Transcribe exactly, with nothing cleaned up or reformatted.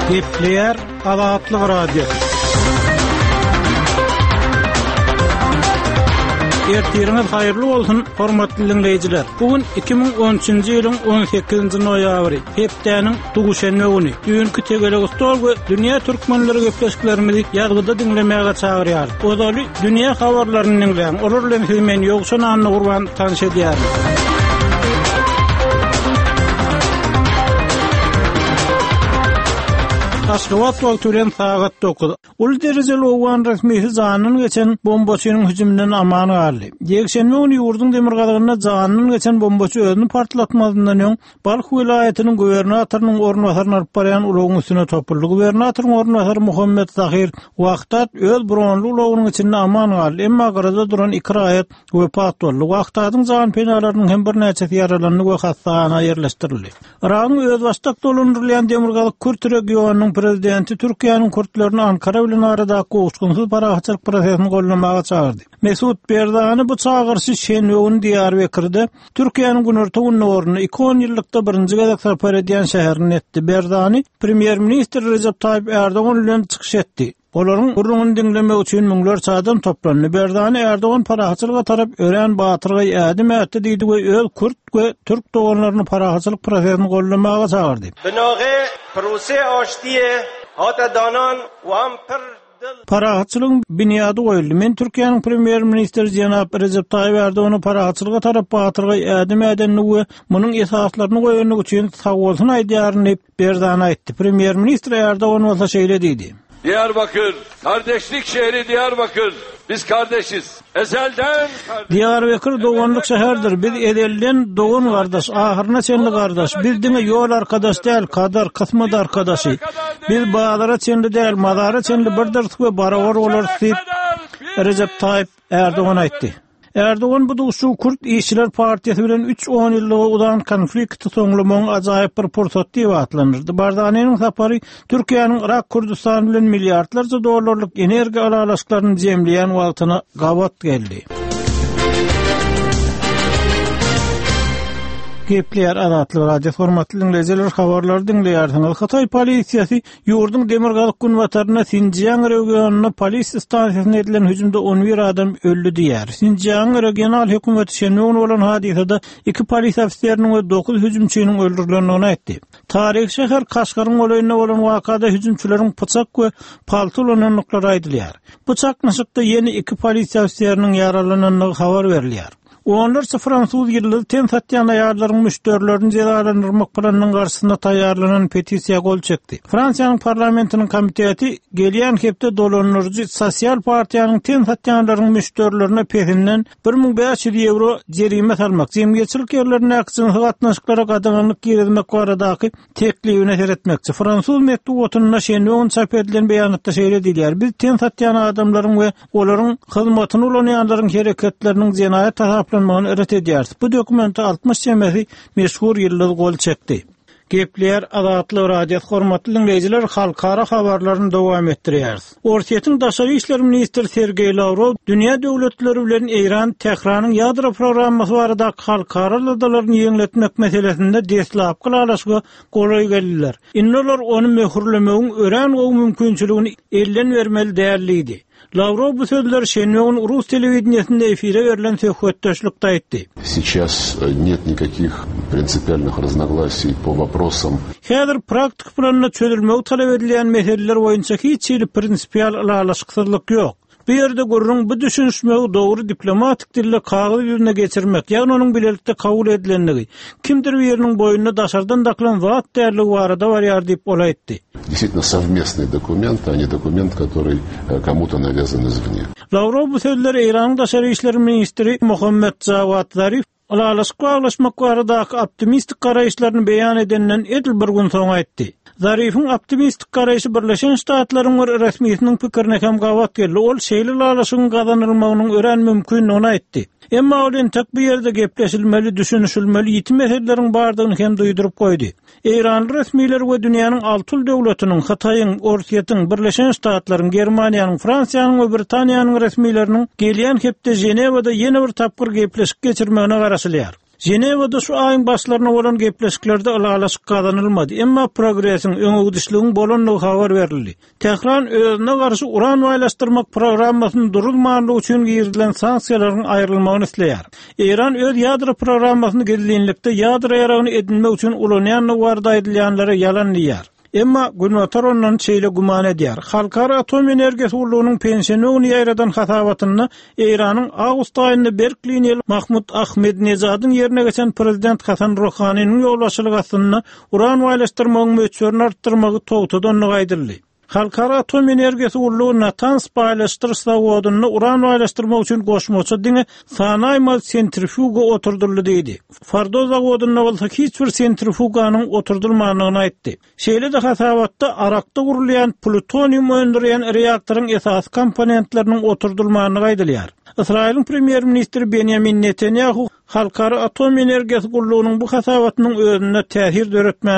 Gepleýär Azatlyk Radiosy. Ertiriňiz haýyrly bolsun, hormatly diňleýjiler. Bu gün iki müň on üçünji ýylyň on sekizinji noýabry, hepdäniň duşenbe güni. Düýnki tegelek stol we dünýä türkmenleri gepleşiklerimizi ýazgyda diňlemäge çagyrýar. Ozaly dünýä habarlaryny diňläň. Olar bilen sizi men Ýowşan Annagurban tanyş edýärin. Aşgabat wagty bilen sagat dokuz. Uly derejeli owgan resmisi janyndan geçen bombaçynyň hüjüminden aman galdy. Ýekşenbe güni ýurduň demirgazygynda janyndan geçen bombaçy özüni partlatmazyndan öň Balh welaýatynyň gubernatorynyň orunbasaryny alyp barýan ulagyň üstüne topuldy. Gubernatoryň orunbasary Muhammet Zahir Wahdat öz bronly ulagynyň içinde aman galdy, emma gyrada duran iki raýat wepat boldy. Wahdadyň jan penalarynyň hem birnäçesi ýaralandy we hassahana ýerleşdirildi. Yragyň özbaşdak dolandyrylýan Demirgazyk Kürt regionynyň prezidenti Türkiýäniň kürtlerini Ankara bilen aradaky gowuşgynsyz parahatçylyk prosesini goldamaga çagyrdy. Mesut Berzani bu çagyryşy şenbe güni Diýarbekirde Türkiýäniň günorta gündogarynda iki on ýyllykda birinji gezek sapar edýän şäherinde etdi. Berzani premýer-ministr Recep Tayyip Erdogan bilen çykyş etdi. Olaryň gürrüňini diňlemek üçin müňlerçe adam toplandy. Berzani Erdogan parahatçylyga tarap örän batyrgaý ädim ätdi diýdi we öz kürt we türk doganlaryny parahatçylyk prosesini goldamaga çagyrdy. Binagy proses aştiye hata danan we am pir Parahatçylygyň binýady goýuldy. Men Türkiýäniň premýer-ministri jenap Recep Tayyip Erdogany parahatçylyga tarap batyrgaý ädim ädenligi we munuň esaslaryny goýanlygy üçin sag bolsun aýdýaryn diýip Berzani aýtdy. Premýer-ministr Erdogan bolsa şeýle diýdi. Diyarbakır, kardeşlik şehri Diyarbakır. Biz kardeşiz. Ezelden kardeş. Diyarbakır doganlyk şäherdir. Biz ezelden dogan kardeş, ahyryna çenli kardeş. Biz diňe ýol arkadaş däl, kadar, kysmat arkadaşy. Biz bazara çenli däl, mazara çenli birdir we barabar bolarys diýip Recep Tayyip Erdogan aýtdy. Erdogan bu duşuşygy Kürt İşçiler Partiyası bilen üç on ýyllyga uzan konflikti soňlamagyň ajaýyp bir pursat diýip atlandyrdy. Barzani'niň sapary Türkiýäniň Irak Kürdistany bilen milliardlarça dollarlyk energiýa alalaşyklaryny jemleýän wagtyna gabat geldi. Gepleýär Azatlyk Radiosy, hormatly dinleýjiler, habarlary diňleýärsiňiz. Hytaý polisiýasy ýurduň demirgazyk günbatarynda Sinjiang regionynda polisiýa stansiýasyna edilen hüjümde on bir adam öldi diýär. Sinjiang regional hökümeti şenbe güni bolan hadysada iki polisiýa ofiseriniň we dokuz hüjümçiniň öldürilendigini aýtdy. Taryhy şäher Kaşgaryň golaýynda bolan wakada hüjümçileriň pyçak we palta ulanandyklary aýdylýar. Bu çaknyşykda ýene iki polisiýa ofiseriniň ýaralanandygy habar berilýär. Onlarça fransuz ýyldyz ten satýan aýallaryň müşderilerini jezalandyrmak planynyň garşysynda taýýarlanan petisiýa gol çekdi. Fransiýanyň parlamentiniň komiteti gelýän hepde dolandyryjy sosial partiýanyň ten satýanlaryň müşderilerine pesinden bir müň bäş ýüz ýewro jerime salmak, jemgyýetçilik ýerlerindäki jynsy gatnaşyklara gadaganlyk girizmek baradaky teklibine seretmekçi. Fransuz metbugatynda şenbe güni çap edilen beýanatda şeýle diýilýär: Biz ten satýan adamlaryň we olaryň hyzmatyny ulanýanlaryň hereketleriniň jenaýat hasaplanmagyny ret edýäris. Bu dokumente altmyş çemesi meşhur ýyldyz gol çekdi. Gepleýär Azatlyk Radiosy, hormatly dinleýjiler, halkara habarlaryny dowam etdirýäris. Orsýetiň daşary işler ministri Sergeý Lawrow dünýä döwletleri bilen Eýran Tähranyň ýadro programmasy baradaky halkara aladalaryny ýeňletmek meselesinde deslapky ylalaşyga golaý geldiler. Indi olar ony möhürlemegiň örän gowy mümkinçiligini elden bermeli däl diýdi. Lawrow bu sözleri şenbe güni Rus telewideniýesinde efire berlen söhbetdeşlikde aýtdy. Сейчас нет никаких принципиальных разногласий по вопросам. Häzir praktik planda çözülmegi talap edilýän meseleler boýunça hiç hili prinsipial ylalaşyksyzlyk ýok. Bu ýerde gürrüň bu düşünişmegi dogry diplomatik dilde kagyz ýüzüne geçirmek, ýagny onuň bilelikde kabul edilenligi, kimdir biriniň boýnuna daşardan dakylan zat dälligi barada barýar diýip ol aýtdy. Действительно совместный документ, а не документ, который, э, кому-то навязан извне. Lawrow bu sözleri Eýranyň daşary işler ministri Muhammed Jawad Zarif ylalaşyk baglaşmak baradaky optimistik garaýyşlaryny beýan edenden edil bir gün soň aýtdy. Zarifiň optimistik garaýşy Birleşen Ştatlaryň bir resmisiniň pikirine hem gabat geldi. Ol şeýle ylalaşygyň gazanylmagynyň örän mümkindigini aýtdy. Emma ol entek bu ýerde gepleşilmeli, düşünişilmeli ýiti meseleleriň bardygyny hem duýduryp goýdy. Eýranly resmiler we dünýäniň alty döwletiniň, Hytaýyň, Orsýetiň, Birleşen Ştatlaryň, Germaniýanyň, Fransiýanyň we Britaniýanyň resmileriniň gelýän hepde Ženewada ýene bir tapgyr gepleşik geçirmegine garaşylýar. Ženewada şu aýyň başlarynda bolan gepleşiklerde ylalaşyk gazanylmady, emma progresiň öňegidişligiň bolandygy habar berildi. Tehran özüne garşy uran baýlaşdyrmak programmasyny duruzmanlygy üçin girizilen sanksiýalaryň aýrylmagyny isleýär. Eýran öz ýadro programmasyny gizlinlikde ýadro ýaragyny edinmek üçin ulanýandygy barada aýdylýanlara ýalan diýýär. Emma Günbatar ondan şeýle güman edýär. Halkara Atom Energiýasy gullugynyň penşenbe güni ýaýradan hasabatynda Eýranyň awgust aýynda berk liniýaly Mahmud Ahmedinejadyň ýerine geçen prezident Hasan Ruhaniniň ýolbaşçylygy astynda uran baýlaşdyrmagyň möçberini artdyrmagy togtadandygy aýdyldy. Halkara Atom Energiýasy gullugy Natanz baýlaşdyryş zawodynda uran baýlaşdyrmak üçin goşmaça diňe sanaýmaly sentrifuga oturdyldy diýdi. Fordo zawodynda bolsa hiç bir sentrifuganyň oturdylmandygyny aýtdy. Şeýle-de hasabatda Arakda gurulýan plutonium öndürýän reaktoryň esasy komponentleriniň oturdylmandygy aýdylýar. Ysraýylyň premýer-ministri Benýamin Netanýahu Halkara Atom Energiýasy gullugynyň bu hasabatynyň özünde täsir döretmän